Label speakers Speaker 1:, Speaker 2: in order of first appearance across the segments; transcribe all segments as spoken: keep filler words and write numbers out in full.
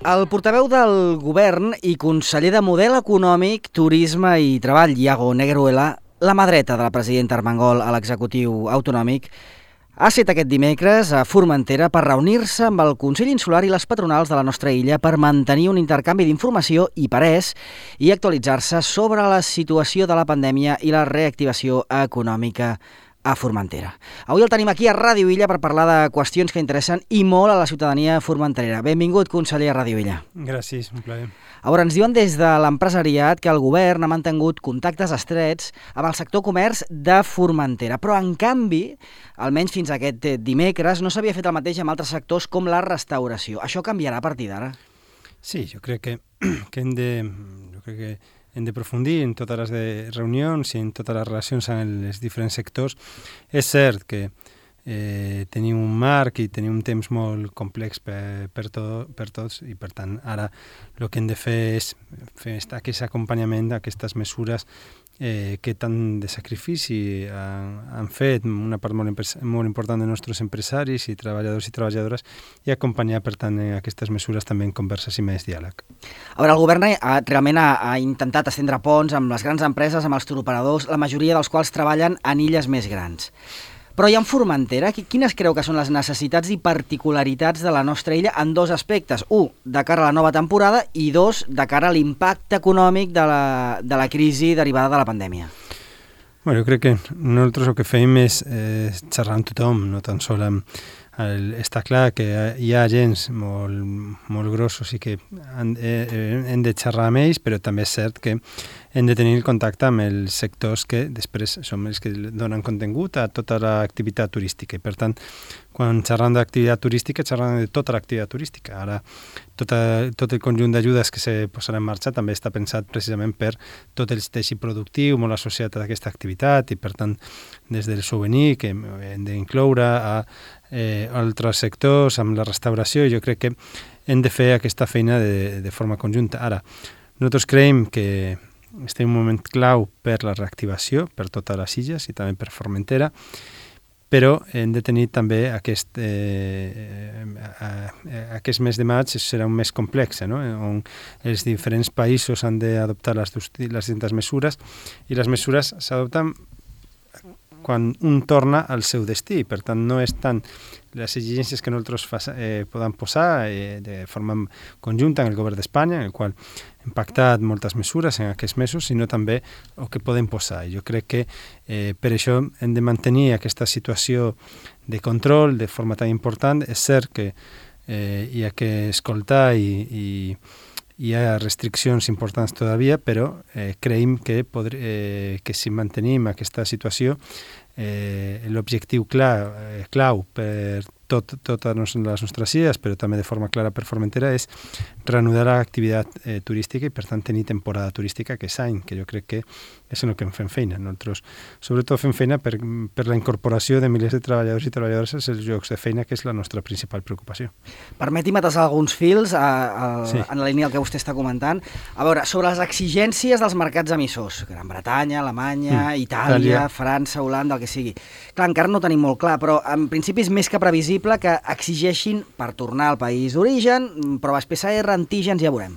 Speaker 1: El portaveu del govern i conseller de Model Econòmic, Turisme i Treball, Iago Negueruela, la mà dreta de la presidenta Armengol a l'executiu autonòmic, ha set aquest dimecres a Formentera per reunir-se amb el Consell Insular i les patronals de la nostra illa per mantenir un intercanvi d'informació i parers i actualitzar-se sobre la situació de la pandèmia i la reactivació econòmica a Formentera. Avui el tenim aquí a Ràdio Illa per parlar de qüestions que interessen i molt a la ciutadania formenterera. Benvingut, conseller, a Ràdio Illa.
Speaker 2: Gràcies, un plaer.
Speaker 1: A veure, ens diuen des de l'empresariat que el govern ha mantingut contactes estrets amb el sector comerç de Formentera, però en canvi, almenys fins aquest dimecres, no s'havia fet el mateix amb altres sectors com la restauració. Això canviarà a partir d'ara?
Speaker 2: Sí, jo crec que, que hem de... Jo crec que hem de profundir en totes les de reunions i en totes les relacions amb els diferents sectors. És cert que eh, tenim un marc i tenim un temps molt complex per, per, to, per tots i, per tant, ara el que hem de fer és fer aquest acompanyament d'aquestes mesures eh, que tant de sacrifici han, han fet una part molt, molt important de nostres empresaris i treballadors i treballadores i acompanyar, per tant, aquestes mesures també en converses i més diàleg.
Speaker 1: A veure, el govern ha, realment ha, ha intentat estendre ponts amb les grans empreses, amb els turoperadors, la majoria dels quals treballen en illes més grans. Però i en Formentera, quines creu que són les necessitats i particularitats de la nostra illa en dos aspectes? Un, de cara a la nova temporada i dos, de cara a l'impacte econòmic de la, de la crisi derivada de la pandèmia.
Speaker 2: Bueno, jo crec que nosaltres el que fem és eh, xerrar amb tothom, no tan sol amb... El, està clar que hi ha agents molt, molt grossos i que han, eh, hem de xerrar amb ells, però també és cert que hem de tenir contacte amb els sectors que després són els que donen contingut a tota l'activitat turística. I per tant, quan xerram d'activitat turística, xerram de tota l'activitat turística. Ara, tota, tot el conjunt d'ajudes que se posaran en marxa també està pensat precisament per tot el teixit productiu molt associat a aquesta activitat i, per tant, des del souvenir, que hem d'incloure a eh, altres sectors, amb la restauració, i jo crec que hem de fer aquesta feina de, de forma conjunta. Ara, nosaltres creiem que estem en un moment clau per la reactivació, per totes les illes i també per Formentera, però hem de tenir també aquest, eh, eh, aquest mes de maig serà un mes complex, no? On els diferents països han d'adoptar les, les distintes mesures i les mesures s'adopten quan un torna al seu destí. Per tant, no és tant les exigències que nosaltres fa, eh, podem posar eh, de forma conjunta en el govern d'Espanya, en el qual hem pactat moltes mesures en aquests mesos, sinó també el que podem posar. Jo crec que eh, per això hem de mantenir aquesta situació de control de forma tan important. És cert que eh, hi ha que escoltar i, i hi ha restriccions importants todavía, però eh, creiem que, podr, eh, que si mantenim aquesta situació, eh, l'objectiu clau, eh, clau per tot, totes les nostres illes, però també de forma clara per Formentera, és reanudar l'activitat eh, turística i, per tant, tenir temporada turística aquest any, que jo crec que és en el que fem feina. Nosaltres, sobretot, fem feina per, per la incorporació de milers de treballadors i treballadores als llocs de feina, que és la nostra principal preocupació.
Speaker 1: Permeti'm atasar alguns fils a, a,
Speaker 2: sí.
Speaker 1: en la línia del que vostè està comentant. A veure, sobre les exigències dels mercats emissors, Gran Bretanya, Alemanya, mm. Itàlia, Itàlia, França, Holanda, el que sigui. Clar, encara no ho tenim molt clar, però en principi és més que previsible que exigeixin per tornar al país d'origen proves P C R, antígens, ja veurem.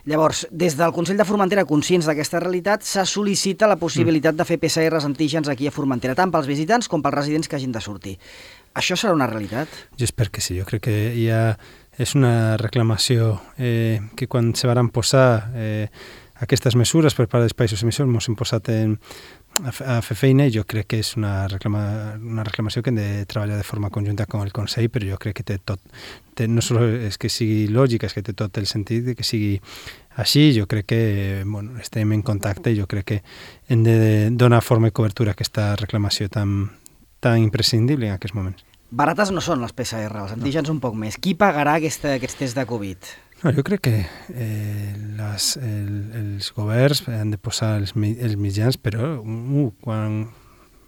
Speaker 1: Llavors, des del Consell de Formentera, conscients d'aquesta realitat, se sol·licita la possibilitat de fer P C Rs antígens aquí a Formentera, tant pels visitants com pels residents que hagin de sortir. Això serà una realitat?
Speaker 2: Jo espero que sí. Jo crec que hi ha, és una reclamació eh, que quan se van posar eh, aquestes mesures per part dels països emissors ens hem posat en, a, a fer feina i jo crec que és una, reclama, una reclamació que hem de treballar de forma conjunta amb el Consell, però jo crec que té tot, té, no només és que sigui lògica, és que té tot el sentit de que sigui així. Jo crec que bueno, estem en contacte i jo crec que hem de donar forma i cobertura a aquesta reclamació tan, tan imprescindible en aquests moments.
Speaker 1: Barates no són les P C R, els antígens no. Un poc més. Qui pagarà aquesta, aquests tests de Covid?
Speaker 2: No, jo crec que eh, les, el, els governs han de posar els, els mitjans, però uh, quan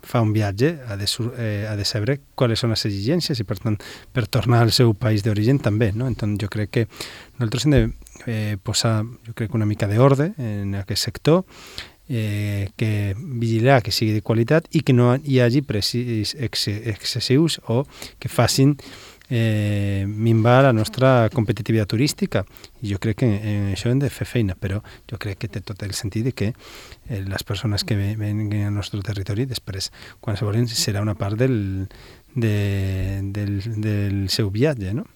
Speaker 2: fa un viatge ha de, eh, ha de saber quales són les exigències i, per tant, per tornar al seu país d'origen també, no? Entonces, jo crec que nosaltres hem de eh, posar, jo crec, una mica d'ordre en aquest sector, eh, que vigilar que sigui de qualitat i que no hi hagi precis ex excessius o que facin eh, minvar la nostra competitivitat turística. I jo crec que en això hem de fer feina, però jo crec que té tot el sentit de que eh, les persones que venen al nostre territori després, quan se volen, serà una part del, de, del, del seu viatge, no?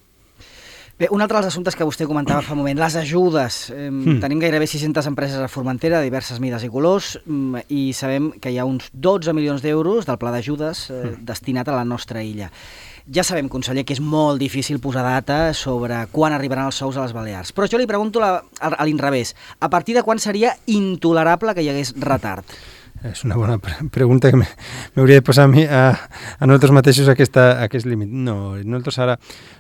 Speaker 1: Bé, un altre dels assumptes que vostè comentava fa un moment, les ajudes. Eh, mm. Tenim gairebé sis-centes empreses a Formentera, de diverses mides i colors, mm, i sabem que hi ha uns dotze milions d'euros del pla d'ajudes eh, mm. destinat a la nostra illa. Ja sabem, conseller, que és molt difícil posar data sobre quan arribaran els sous a les Balears, però jo li pregunto la, a, a l'inrevés. A partir de quan seria intolerable que hi hagués retard?
Speaker 2: És una bona pregunta que m'hauria de posar a mi a, a nosaltres mateixos aquesta, aquest límit. No, nosaltres ara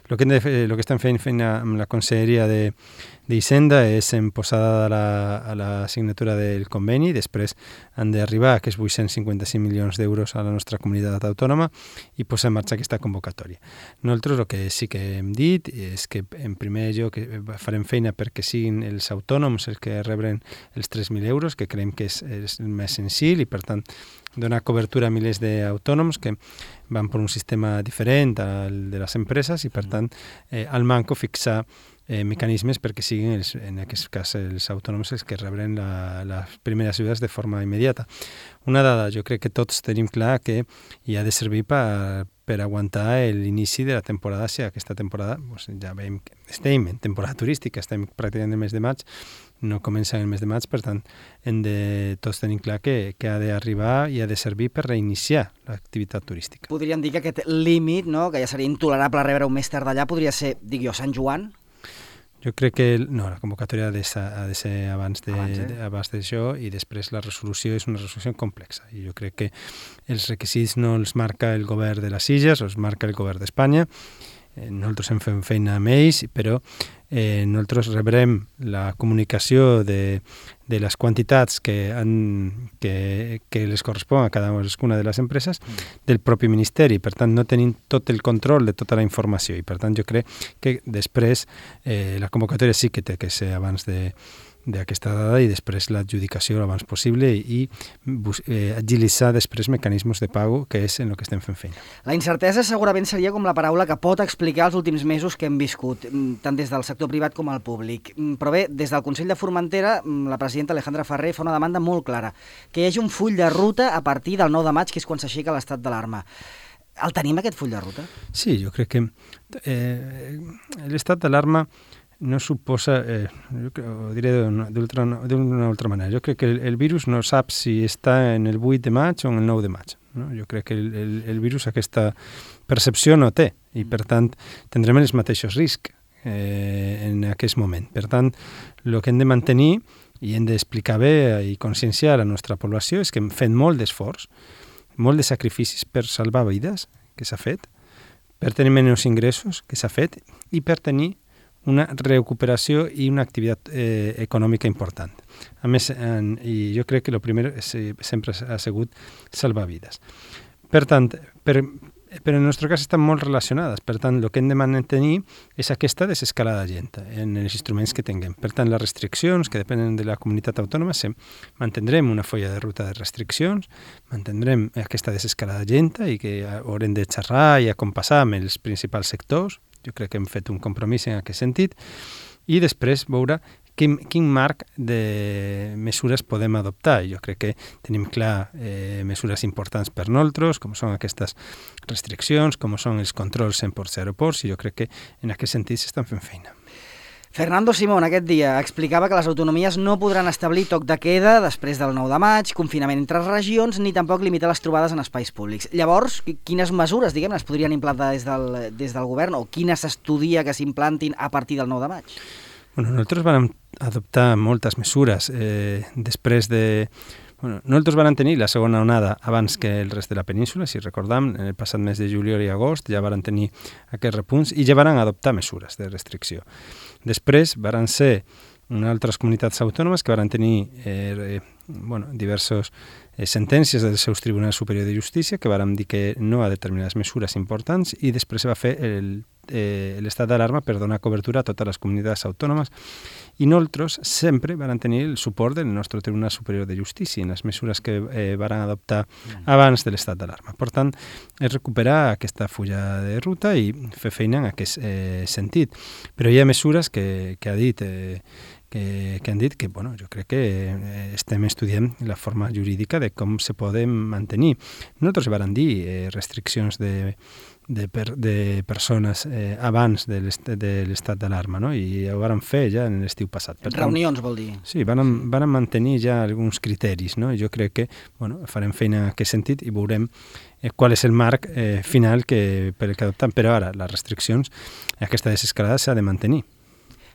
Speaker 2: el que, lo que estem fent feina amb la Conselleria de d'Hisenda és en posada a la, a la signatura del conveni, després han d'arribar aquests vuit-cents cinquanta-cinc milions d'euros a la nostra comunitat autònoma i posar en marxa aquesta convocatòria. Nosaltres el que sí que hem dit és que en primer lloc farem feina perquè siguin els autònoms els que rebren els tres mil euros, que creiem que és, és el més senzill i per tant donar cobertura a milers d'autònoms que van per un sistema diferent al de les empreses i per tant eh, al manco fixar Eh, mecanismes perquè siguin, els, en aquest cas, els autònoms els que rebren la, les primeres ajudes de forma immediata. Una dada, jo crec que tots tenim clar que hi ha de servir per, per aguantar l'inici de la temporada, si aquesta temporada, doncs ja veiem que estem en temporada turística, estem pràcticament en el mes de maig, no comença en el mes de maig, per tant, hem de, tots tenim clar que, que ha d'arribar i ha de servir per reiniciar l'activitat turística.
Speaker 1: Podríem dir que aquest límit, no, que ja seria intolerable rebre un mes tard d'allà, podria ser, dic jo, Sant Joan?
Speaker 2: Jo crec que no, la convocatòria ha de ser, ha de ser abans de, abans, eh? abans d'això i després la resolució és una resolució complexa. I jo crec que els requisits no els marca el govern de les Illes, els marca el govern d'Espanya. Eh, nosaltres hem fet feina amb ells, però eh, nosaltres rebrem la comunicació de, de les quantitats que, han, que, que les correspon a cada una de les empreses del propi Ministeri. Per tant, no tenim tot el control de tota la informació i per tant jo crec que després eh, la convocatòria sí que té que ser abans de d'aquesta dada i després l'adjudicació l'abans possible i eh, agilitzar després mecanismes de pago, que és en el que estem fent feina.
Speaker 1: La incertesa segurament seria com la paraula que pot explicar els últims mesos que hem viscut, tant des del sector privat com al públic. Però bé, des del Consell de Formentera, la presidenta Alejandra Ferrer fa una demanda molt clara, que hi hagi un full de ruta a partir del nou de maig, que és quan s'aixeca l'estat d'alarma. El tenim, aquest full de ruta?
Speaker 2: Sí, jo crec que eh, l'estat d'alarma no suposa, eh, ho diré d'una altra manera, jo crec que el, el virus no sap si està en el vuit de maig o en el nou de maig. No? Jo crec que el, el, el virus aquesta percepció no té i per tant tindrem els mateixos riscs eh, en aquest moment. Per tant, el que hem de mantenir i hem d'explicar bé i conscienciar a la nostra població és que hem fet molt d'esforç, molt de sacrificis per salvar vides, que s'ha fet, per tenir menys ingressos, que s'ha fet, i per tenir una recuperació i una activitat eh, econòmica important. A més, en, i jo crec que el primer és, sempre ha sigut salvar vides. Per tant, per, però en el nostre cas estan molt relacionades. Per tant, el que hem de mantenir és aquesta desescalada gent en els instruments que tinguem. Per tant, les restriccions que depenen de la comunitat autònoma, mantindrem una folla de ruta de restriccions, mantindrem aquesta desescalada gent i que haurem de xerrar i acompassar amb els principals sectors. Jo crec que hem fet un compromís en aquest sentit i després veure quin, quin marc de mesures podem adoptar. Jo crec que tenim clar eh, mesures importants per nosaltres, com són aquestes restriccions, com són els controls en ports i aeroports, i jo crec que en aquest sentit s'estan fent feina.
Speaker 1: Fernando Simón aquest dia explicava que les autonomies no podran establir toc de queda després del nou de maig, confinament entre regions, ni tampoc limitar les trobades en espais públics. Llavors, quines mesures, diguem, es podrien implantar des del, des del govern o quines s'estudia que s'implantin a partir del nou de maig?
Speaker 2: Bueno, nosaltres vam adoptar moltes mesures eh, després de... Bueno, nosaltres vam tenir la segona onada abans que el rest de la península, si recordam, en el passat mes de juliol i agost ja van tenir aquests repunts i ja van adoptar mesures de restricció. Després van ser unes altres comunitats autònomes que van tenir eh, bueno, diversos eh, sentències dels seus tribunals superiors de justícia que varen dir que no a determinades mesures importants i després va fer el Eh, l'estat d'alarma per donar cobertura a totes les comunitats autònomes i nosaltres sempre van tenir el suport del nostre Tribunal Superior de Justícia en les mesures que eh, van adoptar abans de l'estat d'alarma. Per tant, és recuperar aquesta fulla de ruta i fer feina en aquest eh, sentit. Però hi ha mesures que, que ha dit eh, que, que han dit que, bueno, jo crec que eh, estem estudiant la forma jurídica de com se poden mantenir. Nosaltres van dir eh, restriccions de de, per, de persones eh, abans de l'estat d'alarma, no? I ho van fer ja en l'estiu passat.
Speaker 1: Per Reunions, tant, vol dir?
Speaker 2: Sí, van, van mantenir ja alguns criteris, no? I jo crec que bueno, farem feina en aquest sentit i veurem eh, qual és el marc eh, final que, per que adoptem. Però ara, les restriccions, aquesta desescalada s'ha de mantenir.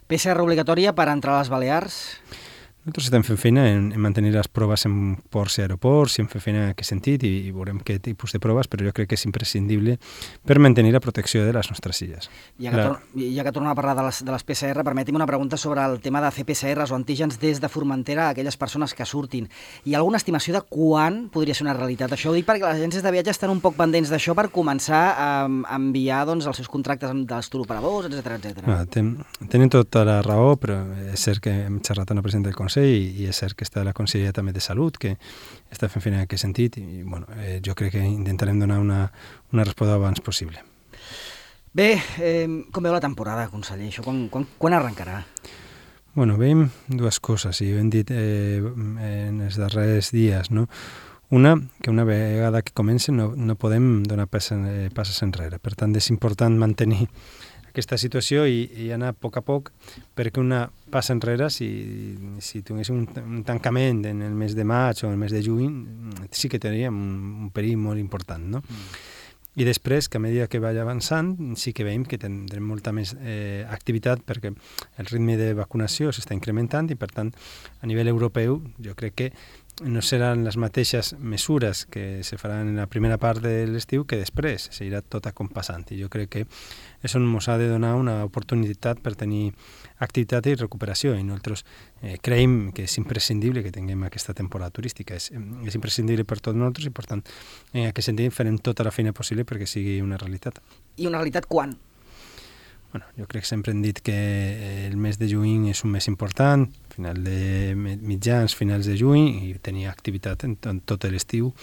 Speaker 1: P C R obligatòria per entrar a les Balears?
Speaker 2: Nosaltres estem fent feina en, en mantenir les proves en ports i aeroports i en fer feina en aquest sentit i, i veurem què tipus de proves, però jo crec que és imprescindible per mantenir la protecció de les nostres illes.
Speaker 1: Ja que, la... tor ja que tornem a parlar de les, de les P C R, permeti'm una pregunta sobre el tema de fer P C Rs o antígens des de Formentera a aquelles persones que surtin. Hi ha alguna estimació de quan podria ser una realitat? Això ho dic perquè les agències de viatge estan un poc pendents d'això per començar a, a enviar doncs, els seus contractes dels turoperadors, etcètera, etcètera.
Speaker 2: Ah, ten, tenen tota la raó, però és cert que hem xerrat amb el president del Consell i és cert que està la Conselleria també de Salut, que està fent feina en aquest sentit i bueno, eh, jo crec que intentarem donar una, una resposta abans possible.
Speaker 1: Bé, eh, com veu la temporada, conseller? Això quan, quan, quan arrencarà?
Speaker 2: Bueno, veiem dues coses, i ho hem dit eh, en els darrers dies, no? Una, que una vegada que comencen no, no podem donar passes, eh, passes enrere. Per tant, és important mantenir aquesta situació i, i anar a poc a poc, perquè una passa enrere, si, si tinguéssim un, un tancament en el mes de maig o el mes de juny, sí que tindríem un, un perill molt important, no? Mm. I després, que a mesura que vagi avançant, sí que veiem que tindrem molta més eh, activitat perquè el ritme de vacunació s'està incrementant i, per tant, a nivell europeu, jo crec que no seran les mateixes mesures que se faran en la primera part de l'estiu que després, seguirà tot acompassant. I jo crec que això ens ha de donar una oportunitat per tenir activitat i recuperació, i nosaltres eh, creiem que és imprescindible que tinguem aquesta temporada turística, és, és imprescindible per tots nosaltres i, per tant, en aquest sentit farem tota la feina possible perquè sigui una realitat.
Speaker 1: I una realitat quan?
Speaker 2: Bueno, jo crec que sempre hem dit que el mes de juny és un mes important, final de mitjans, finals de juny, i tenir activitat en, en tot l'estiu.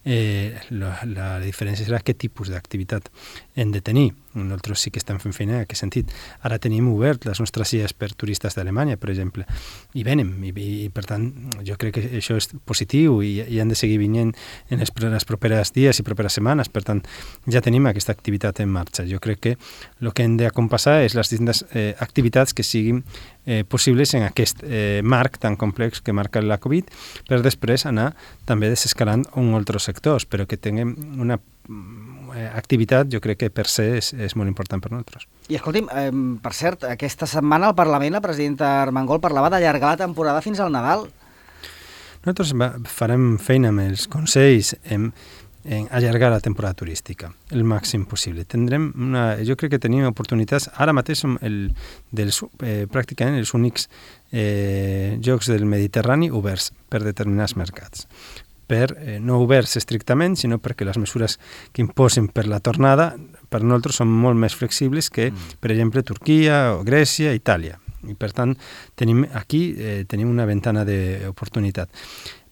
Speaker 2: Eh, la, la diferència serà què tipus d'activitat hem de tenir. Nosaltres sí que estem fent feina en aquest sentit. Ara tenim obert les nostres illes per turistes d'Alemanya, per exemple, i venen, i, i per tant jo crec que això és positiu i, i han de seguir vinent en les, les properes dies i properes setmanes. Per tant, ja tenim aquesta activitat en marxa. Jo crec que el que hem d'acompassar és les distintes eh, activitats que siguin eh, possibles en aquest eh, marc tan complex que marca la Covid, per després anar també desescalant un altres sectors, però que tinguem una activitat, jo crec que per se és, és molt important per nosaltres.
Speaker 1: I escolti'm, eh, per cert, aquesta setmana al Parlament la presidenta Armengol parlava d'allargar la temporada fins al Nadal.
Speaker 2: Nosaltres va, farem feina amb els consells en, en allargar la temporada turística el màxim possible. Tindrem una, jo crec que tenim oportunitats, ara mateix som el, dels, eh, pràcticament els únics eh, jocs del Mediterrani oberts per determinats mercats. Per, eh, no oberts estrictament, sinó perquè les mesures que imposen per la tornada per nosaltres són molt més flexibles que, mm. per exemple, Turquia o Grècia, Itàlia. I per tant, tenim aquí eh, tenim una ventana d'oportunitat.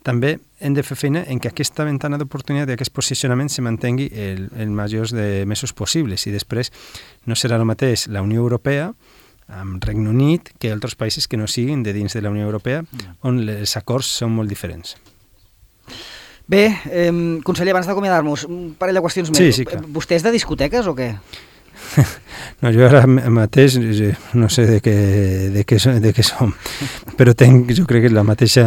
Speaker 2: També hem de fer feina en que aquesta ventana d'oportunitat i aquest posicionament se mantengui el, el majors de mesos possibles, i després no serà el mateix la Unió Europea amb Regne Unit que altres països que no siguin de dins de la Unió Europea, mm. on els acords són molt diferents.
Speaker 1: Bé, eh, conseller, abans d'acomiadar-nos, un parell de qüestions més.
Speaker 2: Sí, sí, clar.
Speaker 1: Vostè és de discoteques o què?
Speaker 2: No, jo ara mateix no sé de què, de què, de què som, però tenc, jo crec que la mateixa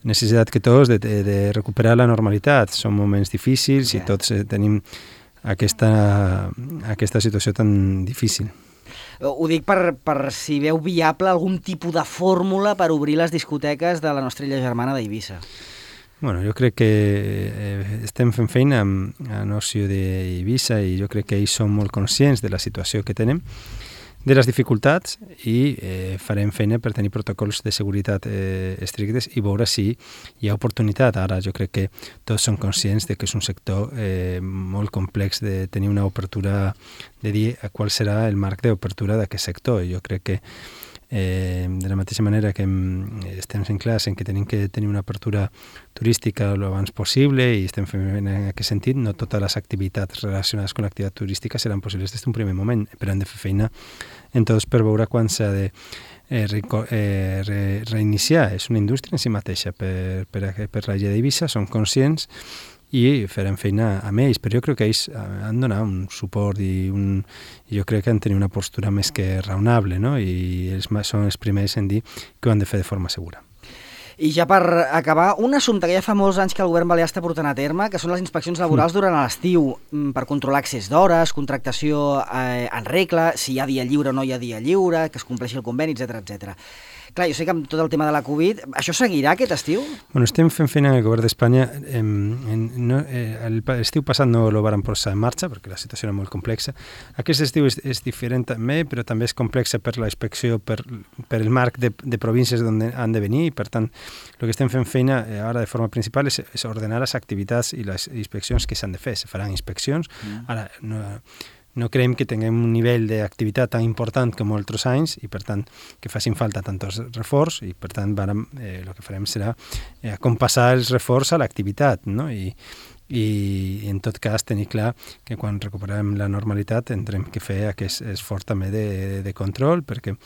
Speaker 2: necessitat que tots de, de, de recuperar la normalitat. Són moments difícils i tots tenim aquesta, aquesta situació tan difícil.
Speaker 1: Ho dic per, per si veu viable algun tipus de fórmula per obrir les discoteques de la nostra illa germana d'Eivissa.
Speaker 2: Bueno, jo crec que eh, estem fent feina amb l'oci d'Eivissa i jo crec que ells són molt conscients de la situació que tenem. de les dificultats i eh, farem feina per tenir protocols de seguretat eh, estrictes i veure si hi ha oportunitat. Ara jo crec que tots som conscients de que és un sector eh, molt complex de tenir una obertura, de dir qual serà el marc d'obertura d'aquest sector. Jo crec que Eh, de la mateixa manera que estem en classe en que tenim que tenir una apertura turística el abans possible i estem fent en aquest sentit, no totes les activitats relacionades amb l'activitat turística seran possibles des d'un primer moment, però hem de fer feina en tots per veure quan s'ha de eh, re, eh, re, reiniciar. És una indústria en si mateixa. Per, per, per la llei d'Eivissa som conscients i farem feina amb ells, però jo crec que ells han donat un suport i un, jo crec que han tenir una postura més que raonable, no? I ells són els primers en dir que ho han de fer de forma segura.
Speaker 1: I ja per acabar, un assumpte que ja fa molts anys que el govern balear està portant a terme, que són les inspeccions laborals durant l'estiu, per controlar accés d'hores, contractació eh, en regla, si hi ha dia lliure o no hi ha dia lliure, que es compleixi el conveni, etcètera, etcètera. Clar, jo sé que amb tot el tema de la Covid, això seguirà aquest estiu?
Speaker 2: Bueno, estem fent feina en el govern d'Espanya. Eh, no, eh, l'estiu passat no el van posar en marxa perquè la situació era molt complexa. Aquest estiu és, és diferent també, però també és complexa per la inspecció, per, per el marc de, de províncies on han de venir, i per tant, el que estem fent feina eh, ara de forma principal és, és ordenar les activitats i les inspeccions que s'han de fer. Se faran inspeccions. Mm. Ara, no... No creiem que tinguem un nivell d'activitat tan important com altres anys i, per tant, que facin falta tants reforç i, per tant, vàrem, eh, el que farem serà eh, compassar els reforç a l'activitat, no? I, i, en tot cas, tenir clar que quan recuperem la normalitat tindrem que fer aquest esforç també de, de control, perquè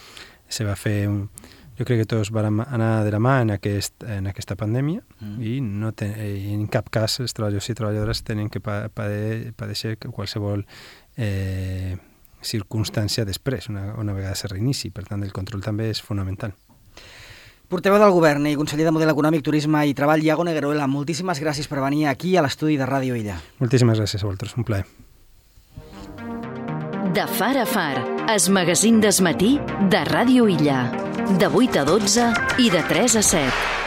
Speaker 2: se va fer un... Jo crec que tots vam anar de la mà en, aquest, en aquesta pandèmia mm. i no ten, en cap cas els treballadors i treballadores tenen que padeixer qualsevol eh, circumstància després, una, una vegada se reinici. Per tant, el control també és fonamental.
Speaker 1: Portaveu del Govern i conseller de Model Econòmic, Turisme i Treball, Iago Negueruela, moltíssimes gràcies per venir aquí a l'estudi de Ràdio Illa.
Speaker 2: Moltíssimes gràcies a vosaltres, un plaer.
Speaker 3: De far a far, es magazín desmatí de Ràdio Illa. De vuit a dotze i de tres a set.